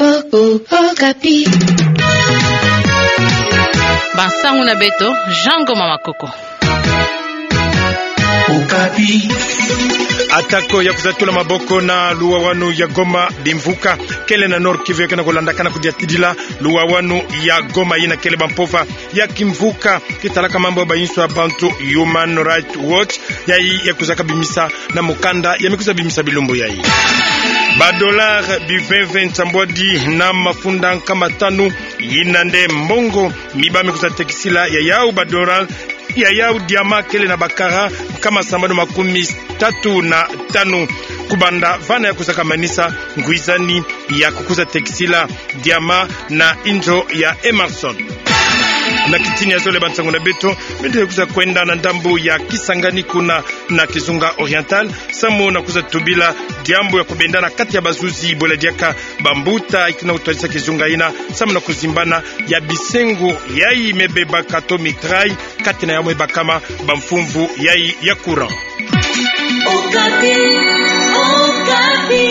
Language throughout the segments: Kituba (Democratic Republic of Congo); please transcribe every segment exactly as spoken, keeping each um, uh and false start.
Oh, oh, Okapi. Bansangu na beto, Jean Ngoma Makoko. Okapi. Atako ya kwiza tula maboko na luwawanu ya Goma, bimvuka kele na Nord-Kivu ya ke na kulandakana kudiatidila luwawanu ya Goma, yina kele bampova ya kimvuka ke talaka mambu ya bainso ya bantu, Human Rights Watch, yayi ya kwizaka bimisa na mukanda ya me kwiza bimisa bilumbu yayi. Ba dollars biveve nsambwadi na mafunda nkama tanu, yina nde mbongo mi ba me kwiza tekisila ya yau ba dollars, ya yau diamant kele na ba carats nkama sambanu makumi tatu na tanu. Kubanda vana ya kwizaka manisa ngwizani ya kukwiza tekisila diamant na inzo ya Emerson. Na kitini ya zole, bansangu na beto, mende kwiza kwenda na ndambu ya Kisangani, kuna na Kizunga Oriental, samu na kwiza tubila diambu ya kubendana kati ya bazuzi bwela diaka bambuta ikina kutwadisa kizunga yina, samu na kuzimbana ya bisengo yayi me bebaka to mitraille, kati na yau me bakama bamfumvu yayi ya courant. Okapi, Okapi.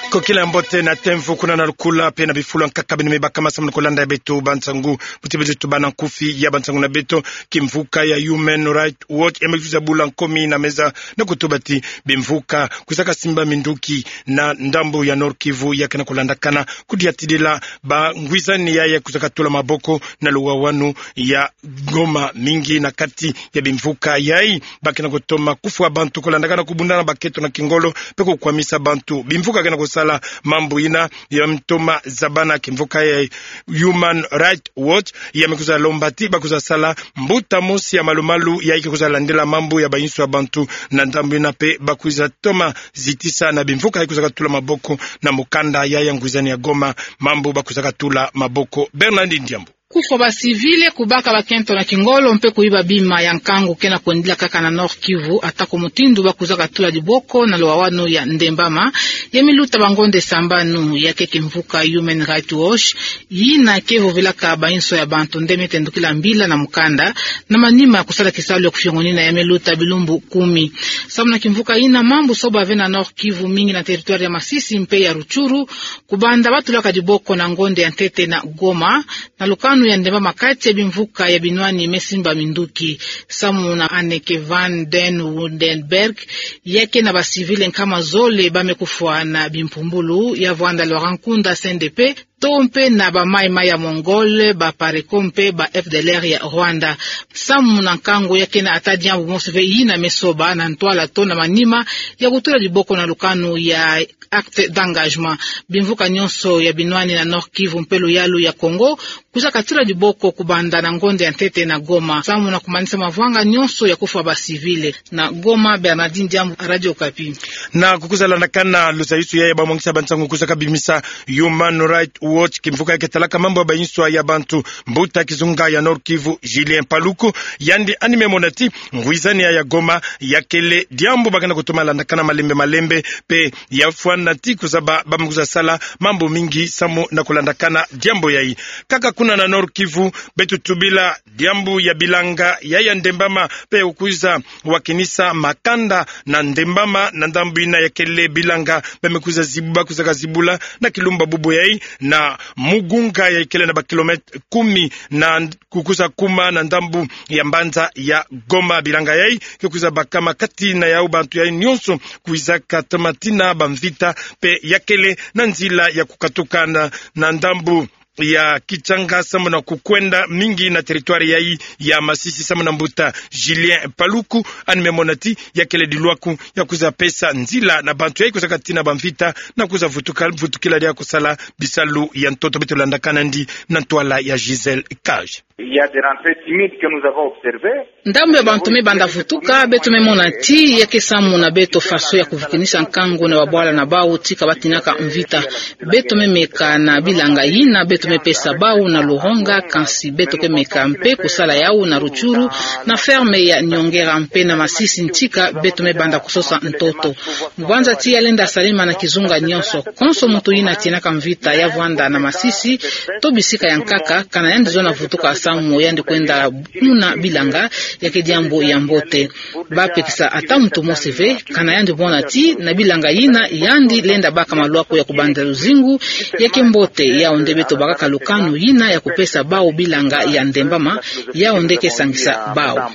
Kokila mbote na temvu kuna na lukula pe na bifulu nkaka beno me bakama samu na kulanda ya beto bansangu. Buti beto tubana nkufi ya bansangu na beto. Kimvuka ya Human Rights Watch ya me kwiza bula nkomi na meza na kutuba ti bimvuka kwizaka simba minduki na ndambu ya Nord-Kivu ya ke na kulandakana kudiatidila bangwizani yayi ya kwizaka tula maboko na luwawanu ya Goma. Mingi na kati ya bimvuka yayi ba ke na kutoma kufwa bantu, kulandakana kubundana bakento na kingolo pe kukwamisa bantu. Bimvuka ke na kusala mambu yina ya me toma zabana. Kimvuka ya Human Rights Watch ya me kwiza lomba ti ba kwiza sala mbuta mosi ya malumalu yayi ke kwiza landila mambu ya bainso ya bantu na ndambu yina, pe ba kwiza toma zitisa na bimvuka yayi kwizaka tula maboko na mukanda yayi ya ngwizani ya Goma, mambu ba kwizaka tula maboko. Bernard Ndiambu. Kufwa ba civils, kubaka bakento na kingolo mpe kuyiba bima ya nkangu ke na kwendila kaka na Nord-Kivu, atako mutindu ba kwizaka tula diboko na luwawanu ya Ndembama, ya me luta bangonde sambanu. Ya ke kimvuka Human Rights Watch, yina ke vovelaka bainso ya bantu nde me tendukila mbila na mukanda, na manima ya kusala kisalu ya kufiongonina, ya me luta bilumbu kumi. Samu na kimvuka yina, mambu so bave na Nord-Kivu, mingi na territoire ya Masisi mpe ya Rutshuru, kubanda ba tulaka diboko na ngonde ya ntete na Goma, na lukanu ya Ndembama, kati ya bimvuka ya binwani me simba minduki. Samu na Anneke van den Woudenbergh, ya ke na ba civils nkama zole ba me kufwa na bimpumbulu, ya vwanda Laurent Nkunda, C N D P, to mpe na ba Mai Mai ya Mongols, ba PARECO mpe ba F D L R ya Rwanda. Samu na nkangu, ya ke na ata diambu mosi ve yina me soba na ntwala to na manima ya kutula diboko na lukanu ya acte d'engagement. Bimvuka nyonso ya binwani na Nord-Kivu mpe luyalu ya Kongo kwizaka tula diboko kubanda na ngonde ya ntete na Goma, samu na kumanisa mavwanga nyonso ya kufwa ba civils. Na Goma, Bernardine Ndiambu, Radio Okapi. Na kukwiza landakana luzayuzu yayi ya bamwangisa bansangu kwizaka bimisa Human Rights Watch, kimvuka ya ke talaka mambu ya bainso ya bantu, mbuta kizunga ya Nord-Kivu, Julien Paluku, yandi ani me mona ti ngwizani ya Goma ya kele diambu ba ke na kutoma landakana malembe malembe, pe ya fwana ti kuzaba ba me kwiza sala mambu mingi samu na kulandakana diambu yayi. Kaka kuna na Nord-Kivu, beto tubila diambu ya bilanga ya ya Ndembama, pe kukwiza wakinisa makanda na Ndembama, na ndambu yina ya kele bilanga ba me kwiza zibu-, ba kwizaka zibula na kilumbu bubu yayi, na Mugunga ya kele na ba kilomètres kumi na kukwiza kuma na ndambu ya mbanza ya Goma. Bilanga yayi ke kwiza bakama kati na yau bantu yayi nyonso kwizaka toma tina bamvita, pe ya kele na nzila ya kukatuka na, na ndambu ya Kitshanga samu na kukwenda mingi na territoire yayi ya Masisi, samu na mbuta Julien Paluku ani me mona ti ya kele dilwaku ya kwiza pesa nzila na bantu yayi kwizaka tina bamvita na kwiza vutuka, vutukila dia kusala bisalu ya ntoto. Beto landa kanandi na ntwala ya Gisèle Cage. Il y a des rentrées timides que nous avons observées. Ndambu ya bantu me banda vutuka, beto me mona ti ya ke samu na beto faso ya kuvukinisa nkangu na babwala na bau ti ka batinaka mvita. Beto me meka na bilanga yina, beto me pesa bau na Luronga, kansi beto ke meka mpe kusala yau na Rutshuru, na ferme ya Nyongera mpe na Masisi ntika beto me banda kusosa ntoto. Mwanza tiya lenda salama na kizunga nyonso. Konso muntu yina tienaka mvita ya vwanda na Masisi, to bisika ya nkaka, kana yandi zona vutuka samu yandi kwenda muna bilanga, ya ke diambu ya mbote. Ba pekisa ata muntu mosi ve, kana yandi mona ti, na bilanga yina, yandi lenda baka maluaku ya kubanda luzingu, ya ke mbote, yau nde beto bakaka lukanu yina ya kupesa bau bilanga ya ndembama, yau nde ke sangisa bau.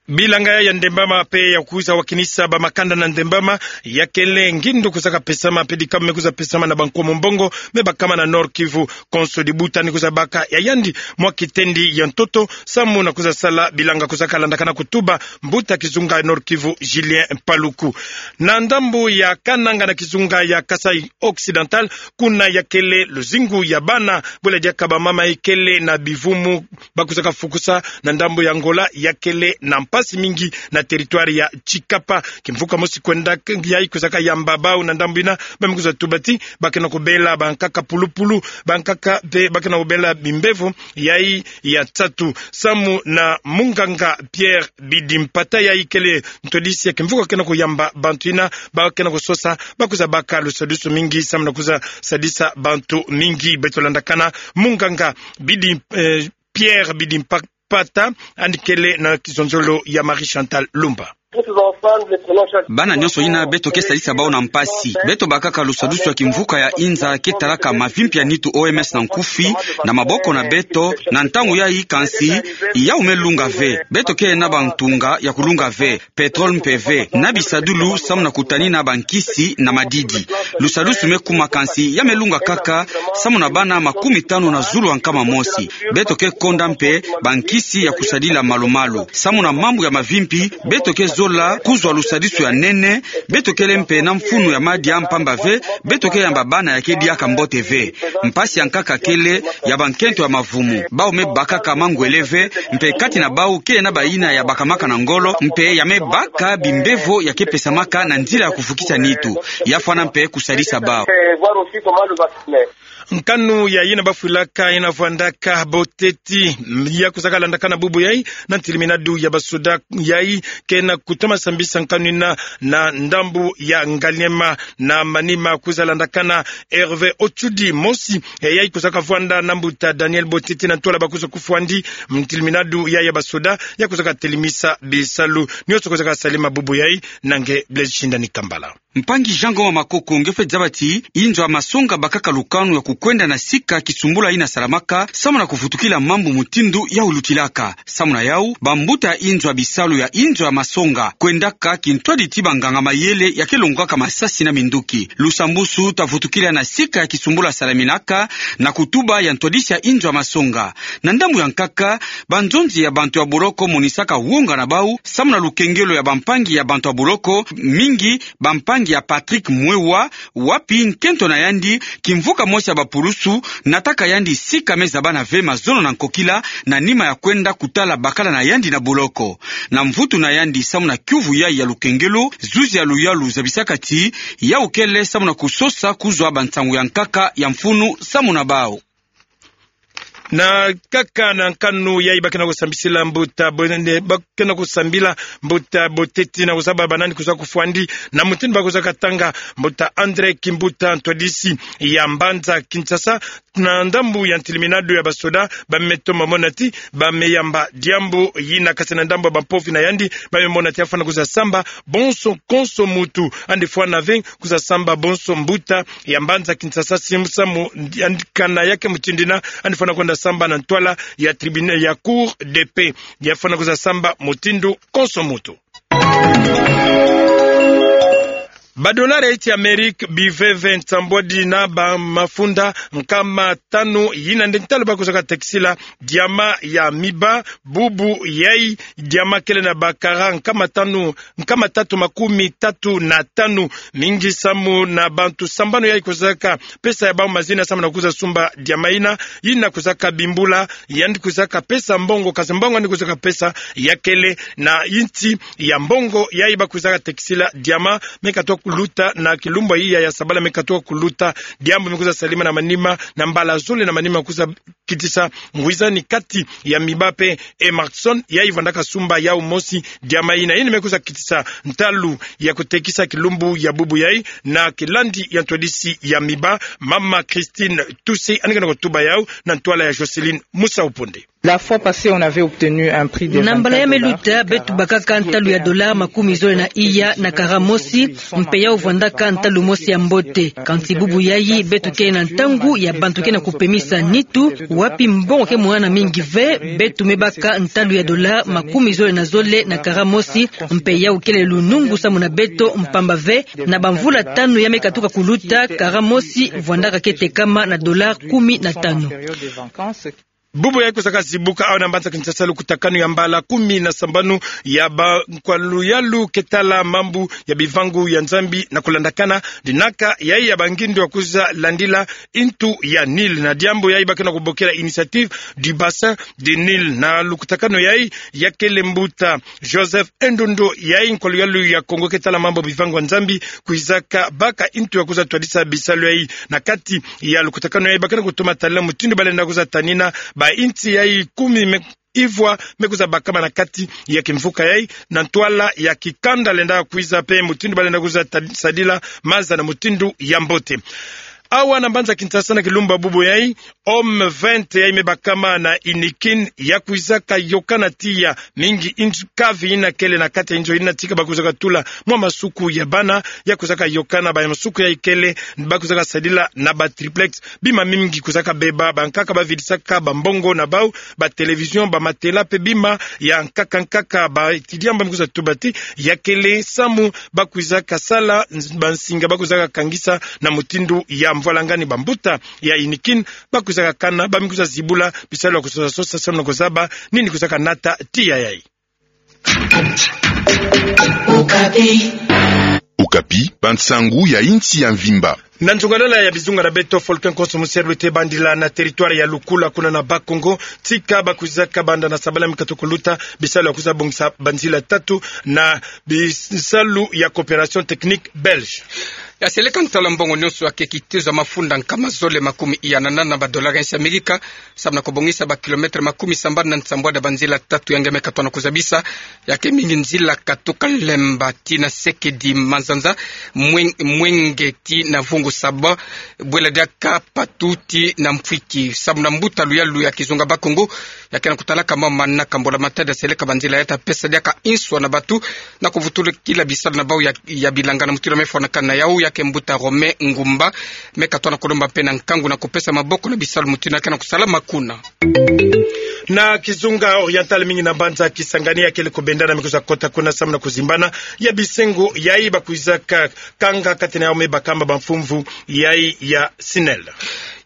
Bilanga ya ndembama mpe ya kwiza wakinisa ba makanda na ndembama, ya kele ngindu kwiza ka pesama, mpe dikabu me kwiza pesama na ba Nkomo Mbongo, me bakama na Nord-Kivu, konso dibuta ni kwiza baka ya yandi, mwa kitendi ya ntoto, samu na kwiza sala bilanga kwiza ka landakana kutuba, mbuta kizunga Nord-Kivu, Julien Paluku. Na ndambu ya Kananga na kizunga ya Kasai Occidental, kuna ya kele luzingu ya bana, bula diaka ba mama ikele na bivumu, ba kwiza ka fukusa na ndambu ya Angola, ya kele na mpasi mingi na territoire ya Tshikapa. Kimvuka mosi kwenda k-, yai kwiza ka yamba bau na ndambu yina, ba me kwiza tuba ti, ba ke na kubela ba nkaka pulupulu, ba nkaka mpe ba ke na kubela bimbevo, yai ya nsatu. Samu na munganga Pierre Bidimpata yai kele ntwadisi ya kimvuka ke na kuyamba bantu yina, ba ke na kusosa, ba kwiza baka lusadusu mingi, samu na kwiza sadisa bantu mingi. Beto landakana munganga Bidi, eh, Pierre Bidimpa-, Pata, yandi kele na kizonzolo ya Marie Chantal Lumba. Bana nyonso yina beto ke sadisa bau na mpasi. Beto bakaka lusadusu ya kimvuka ya inza ke talaka mavimpi ya nitu O M S na nkufi, na maboko na beto, na ntangu yai kansi, yau me lunga ve. Beto ke na ba ntunga ya kulunga ve, pétrole mpe ve, na bisadulu samu na kutanina ba nkisi na madidi. Lusadusu me kuma kansi ya me lunga kaka, samu na bana makumi tanu na zulu ya nkama mosi. Beto ke konda mpe ba nkisi ya kusadila malu-malu. Samu na mambu ya mavimpi, beto ke zola kuzwa lusadusu ya nene, beto kele mpe na mfunu ya madia mpamba ve, beto ke yamba bana ya ke diaka mbote ve. Mpasi ya nkaka kele ya ba nkento ya mavumu. Bau me bakaka mangwele ve, mpe kati na bau ke na bayina ya bakamaka na ngolo, mpe ya me baka bimbevo ya ke pesamaka na nzila ya kuvukisa nitu. Ya fwana mpe kusadisa bau. Nkanu ya yina bafwilaka, yina vwandaka boteti, ya kwiza ka landakana bubu yai, na ntiliminadu ya basoda yai, ke na kutoma sambisa nkanu yina, na ndambu ya Ngaliema, na manima kwiza landakana Hervé Otshudi mosi, e yai kwiza ka vwanda na mbuta Daniel Boteti na ntwala ba kwiza kufwandi, ntiliminadu ya ya basoda, ya kwiza ka telimisa bisalu. Nyonso kwiza ka salama bubu yai, na nge Blaise Shindani Kambala. Mpangi Jean Ngoma Makoko nge fwe zaba ti, inzo ya masonga bakaka lukanu ya kukwenda na sika kisumbula yina salamaka, samu na kuvutukila mambu mutindu yau lutilaka. Samu na yau, bambuta ya inzo ya bisalu ya inzo ya masonga, kwendaka kintwadi ti banganga mayele ya ke longwaka masasi na minduki. Lusambusu ta vutukila na sika ya kisumbula salaminaka, na kutuba ya ntwadisi ya inzo ya masonga. Na ndambu ya nkaka, banzonzi ya bantu ya boloko monisaka wonga na bau, samu na lukengelo ya bampangi ya bantu ya boloko, mingi bampangi ya Patrick Mwewa, wapi nkento na yandi, kimvuka mosi ya bapulusu, nataka yandi sika me zabana ve mazono na nkokila, na nima ya kwenda kutala bakala na yandi na boloko. Na mvutu na yandi samu na kiuvu yai ya lukengelo, zuzi ya luyalu zabisaka ti, yau kele samu na kusosa kuzwa bansangu ya nkaka ya mfunu samu na bau. Na nkaka na nkanu yai ba ke na kusambisila mbuta bo-, ne, ba ke na kusambila mbuta Boteti na kuzaba ba nani kwiza kufwandi, na mutindu ba kwiza katanga mbuta André Kimbuta, ntwadisi ya mbanza Kinshasa, na ndambu ya ntiliminadu ya basoda, ba me toma mona ti, ba me yamba diambu yina, kasi na ndambu ya bampofi na yandi, ba me mona ti ya fwana kwiza samba bonso konso mutu, yandi fwana ve kwiza samba bonso mbuta ya mbanza Kinshasa, samu yandi kana ya ke mutindu yina, yandi fwana kwenda samba na ntwala ya tribunal ya Cour de paix. Ya fwana kwiza samba mutindu konso mutu. Badolari ya insi ya Amérique biveve nsambwadi na bamafunda nkama tanu, yina nde ntalu ba kwiza katekisila diama ya miba, bubu yai, diama kele na ba carats nkama tanu, nkama tatu makumi tatu na tanu, mingi samu na bantu sambanu yai kwizaka pesa ya bau mazina samu na kwiza sumba diama yina, yina kwizaka bimbula, yandi kwizaka pesa mbongo, kasi mbongo yandi kwizaka pesa ya kele na insi ya mbongo yai ba kwizaka tekisila diama, me katwa kuluta na kilumbu ya iya ya sabala me katuka kuluta, diambu me kwiza salama na manima, na mbala zole na manima kwiza kitisa ngwizani kati ya Miba pe Emerson, yayi vwandaka sumba yau mosi diambu yina. Yina me kwiza kitisa ntalu ya kutekisa kilumbu ya bubu yayi, na kilandi ya ntwadisi ya Miba, mama Christine Tusi, ani kena kutuba yau na ntwala ya Jocelyne Musa Uponde. La fois passée, on avait obtenu un prix de Na mbala ya me luta, beto bakaka ntalu ya dola makumi zole na iya na kara mosi, mpe yau vwandaka ntalu mosi ya mbote. Kansi bubu yayi, beto ke na ntangu ya bantu ke na kupemisa nitu, wapi mbongo ke mwana mingi ve, beto me baka ntalu ya dola makumi zole na zole na kara mosi, mpe yau kele lunungu samu na beto mpamba ve, na bamvula tanu ya me katuka kuluta, kara mosi vwandaka ke tekama na dola kumi na tanu. Bubu yayi kwizaka zibuka awa na mbanza Kinshasa lukutakanu ya mbala kumi na sambanu ya ba nkwa luyalu ke tala mambu ya bivangu ya Nzambi na kulandakana dinaka yayi ya bangindo ya kwiza landila ntu ya Nil. Na diambu yayi ba ke na kubokela Initiative du Bassin du Nil. Na lukutakanu yayi ya kele mbuta Joseph Endondo, yayi nkwa luyalu ya Kongo ke tala mambu bivangu ya Nzambi, kwizaka baka ntu ya kwiza twadisa bisalu yayi. Na kati ya lukutakanu yayi ba ke na kutoma tala mutindu ba lenda kwiza tanina banti yayi kumi me ivwa me kwiza bakama na kati ya kimvuka yayi, na ntwala ya kikanda lenda kwiza mpe mutindu ba lenda kwiza ta-, sadila maza na mutindu ya mbote. Awa na mbanza Kinshasa na kilumbu ya bubu yayi, Home vingt yayi me bakama na Inikin, ya kwizaka yokana tiya mingi nz-, kavi yina kele na kati ya nzo yina tika ba kwizaka tula mwa masuku ya bana, ya kwizaka yokana ba masuku yayi kele, ba kwizaka sadila na ba triplex. Bima mingi kwizaka beba, bankaka ba vidisaka bambongo na bau, ba télévision, ba matelas, mpe bima ya nkaka nkaka. Ba étudiants ba me kwiza tuba ti ya kele samu ba kwizaka sala, nz-, bansinga ba kwizaka kangisa na mutindu ya mvwalangani. Bambuta ya Inikin ba kwizaka kana, ba me kwiza zibula bisalu ya kusosa sosa samu na kuzaba nini kwizaka nata tiya yayi. Okapi. Okapi, bansangu ya insi ya mvimba. Na nzungalala ya bizunga na beto, Folkin Konso Muserlu te bandila na territoire ya Lukula kuna na Bas-Congo, tika ba kwizaka banda na sabala me katuka kuluta bisalu ya kwiza bongisa banzila tatu na bisalu ya coopération technique belge. Ya seleka ntala mbongo nyonso ya ke kitiza mafunda nkama zole makumi iya na nana ba dollars ya Amerika, samu na kubongisa ba kilomètres makumi sambanu na nsambwadi ya banzila tatu ya nge me katona kuzabisa, ya ke mingi nzila katuka Lemba ti na Sekedi Manzanza, Mwen-, Mwenge ti na Vungu Saba, bwela diaka Patu ti na Mpwiki. Samu na mbuta luyalu ya kizunga Bas-Congo, ya ke na kutalaka mama na kambula matadi ya seleka banzila ya ta pesa diaka inswa na batu, na kuvutukila bisalu na bau ya, ya bilanga na mutindu ya me fwanakana na yau, ya ke mbuta Romain Ngumba, me katona kulomba mpe na nkangu na kupesa maboko na bisalu mutindu ya ke na kusalama kuna. Na kizunga Oriental mingi na mbanza Kisangani ya kele kubendana me kwiza kota kuna samu na kuzimbana ya bisengo yayi ba kwizaka kanga kati na yau me bakama bamfumvu yayi ya SNEL.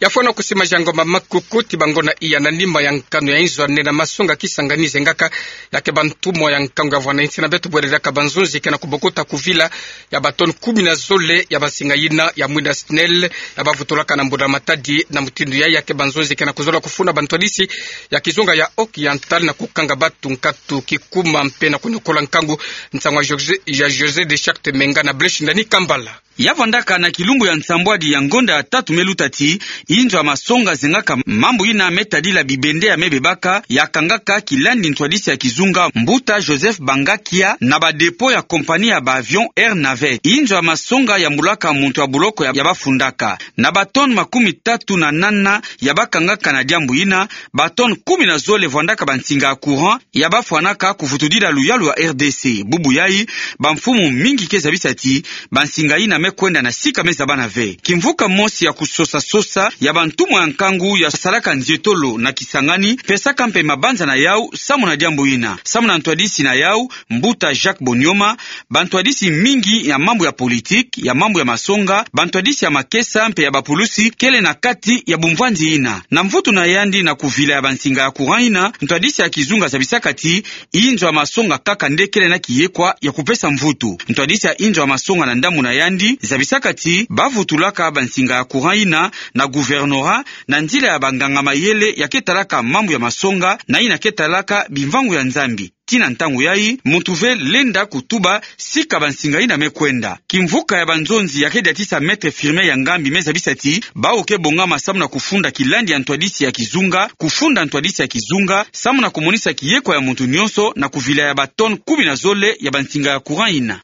Ya fwana kusima jango mamakuku ti bango na iya na nima ya nkanu ya inzo ya nne na masonga Kisangani zengaka, ya ke bantumwa ya nkangu ya vwana insi na beto bwele diaka banzonzi ke na kubokota kuvila ya ba tonnes kumi na zole ya bansinga yina ya mwinda SNEL ya ba vutulaka na mbula matadi. Na mutindu yayi, ya ke banzonzi ke na kuzola kufuna bantwadisi ya kizunga ya Oriental na kukanga batu nkatu kikuma mpe na kunyokola nkangu. Nsangu ya José, ya José de Charte Menga na Blaise Ndani Kambala. Ya vandaka na kilumbu ya nsambwadi ya ngonda ya tatu me luta ti inzo ya masonga zengaka mambu yina me tadila bibende ya me bebaka, ya kangaka kilandi ntwadisi ya kizunga mbuta Joseph Bangakia na ba dépôt ya compagnie ya ba avion Air Navette. Inzo ya masonga yambulaka muntu ya buloko ya, ya bafundaka. Na ba tonnes makumi tatu na nana ya bakangaka na diambu yina, ba tonnes kumi na zole vandaka bansinga ya courant ya bafwanaka kuvutudila luyalu ya R D C. Bubu yayi, bamfumu mingi ke zabisa ti bansinga yina me kwenda na sika me zabana ve. Kimvuka mosi ya kusosa sosa ya bantumwa ya nkangu ya salaka nzietolo na Kisangani pesaka mpe mabanza na yau samu na diambu yina. Samu na ntwadisi na yau, mbuta Jacques Bonioma, bantwadisi mingi ya mambu ya politique, ya mambu ya masonga, bantwadisi ya makesa mpe ya bapulusi kele na kati ya bumvwanzi yina. Na mvutu na yandi na kuvila ya bansinga ya courant yina, ntwadisi ya kizunga zabisaka ti inzo ya masonga kaka nde kele na kiyekwa ya kupesa mvutu. Ntwadisi ya inzo ya masonga na ndambu na yandi, zabisaka ti bavutulaka bansinga ya courant yina na gouvernorat na nzila ya banganga-mayele ya ke talaka mambu ya masonga na yina ke talaka bimvangu ya Nzambi. Tii na ntangu yayi, muntu ve lenda kutuba sika bansinga yina me kwenda. Kimvuka ya banzonzi ya ke diatisa Maître Firmin Yangambi me zabisa ti bawu ke bongama samu na kufunda kilandi ya ntwadisi ya kizunga, kufunda ntwadisi ya kizunga, samu na kumonisa kiyekwa ya muntu nyonso na kuvila ya ba tonnes kumi na zole ya bansinga ya courant yina.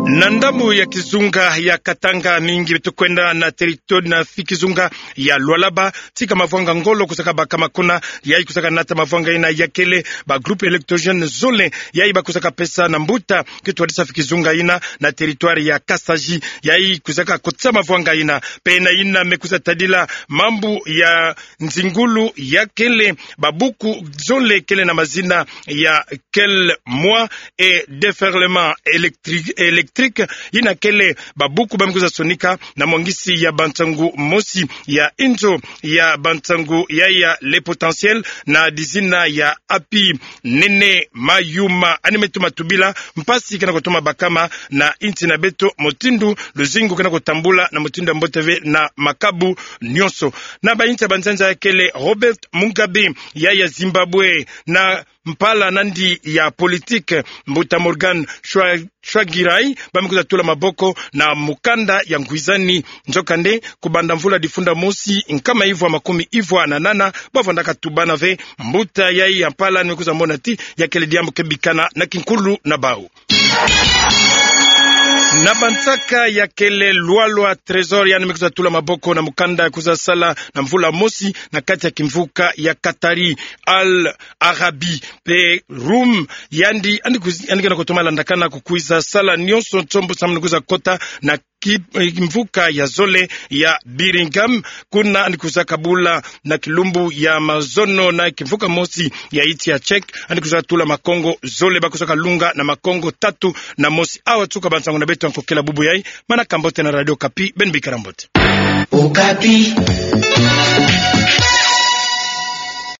Na ndambu ya kizunga ya Katanga, mingi beto kwenda na territoire na fi kizunga ya Lualaba, tika mavwanga ngolo kuzaka bakama kuna, yayi kuzaka nata mavwanga yina ya kele ba groupe électrogène zole, yayi bakuzaka pesa na mbuta ke twadisa fi kizunga yina na territoire ya Kasaji, yayi kuzaka kotisa mavwanga yina. Mpe na yina me kwiza tadila mambu ya nzingulu ya kele babuku zole kele na mazina ya Quel moi et déferlement électrique, électrique, yina kele babuku ba me kwiza sonika na mwangisi ya bansangu mosi ya inzo ya bansangu ya, ya Le Potentiel na dizina ya Happy Nene Mayuma. Yandi me toma tubila mpasi ke na kutoma bakama na insi na beto, mutindu luzingu ke na kutambula na mutindu ya mbote ve na makabu nyonso. Na bainsi ya banzanza ya kele Robert Mugabe ya, ya Zimbabwe, na mpala na yandi ya politique, mbuta Morgan Tsva-, Tsvangirai, ba me kwiza tula maboko na mukanda ya ngwizani. Nzokande, kubanda mvula difunda mosi nkama ivwa makumi ivwa na nana, ba vwandaka tubana ve mbuta yayi ya mpala, yandi me kwiza mona ti ya kele diambu ke bikana na kinkulu na bawu. Na bansaka ya kele Lwalwa Trésor, yandi me kwiza tula maboko na mukanda ya kwiza sala na mvula mosi na kati ya kimvuka ya Qatari, Al Arabi, mpe Rum, yandi, yandi kwiz-, yandi ke na kutoma landakana kukwiza sala nyonso nsombo samu na kwiza kota na ki-, eh, kimvuka ya zole ya Birmingham, kuna yandi kwiza kabula na kilumbu ya mazono na kimvuka mosi ya insi ya Czech, yandi kwiza tula makongo zole, ba kwiza kalunga na makongo tatu na mosi. Awa tuka bansangu na beto ya nkokela bubu yayi, manaka mbote na Radio Okapi, beno bikala mbote. Okapi.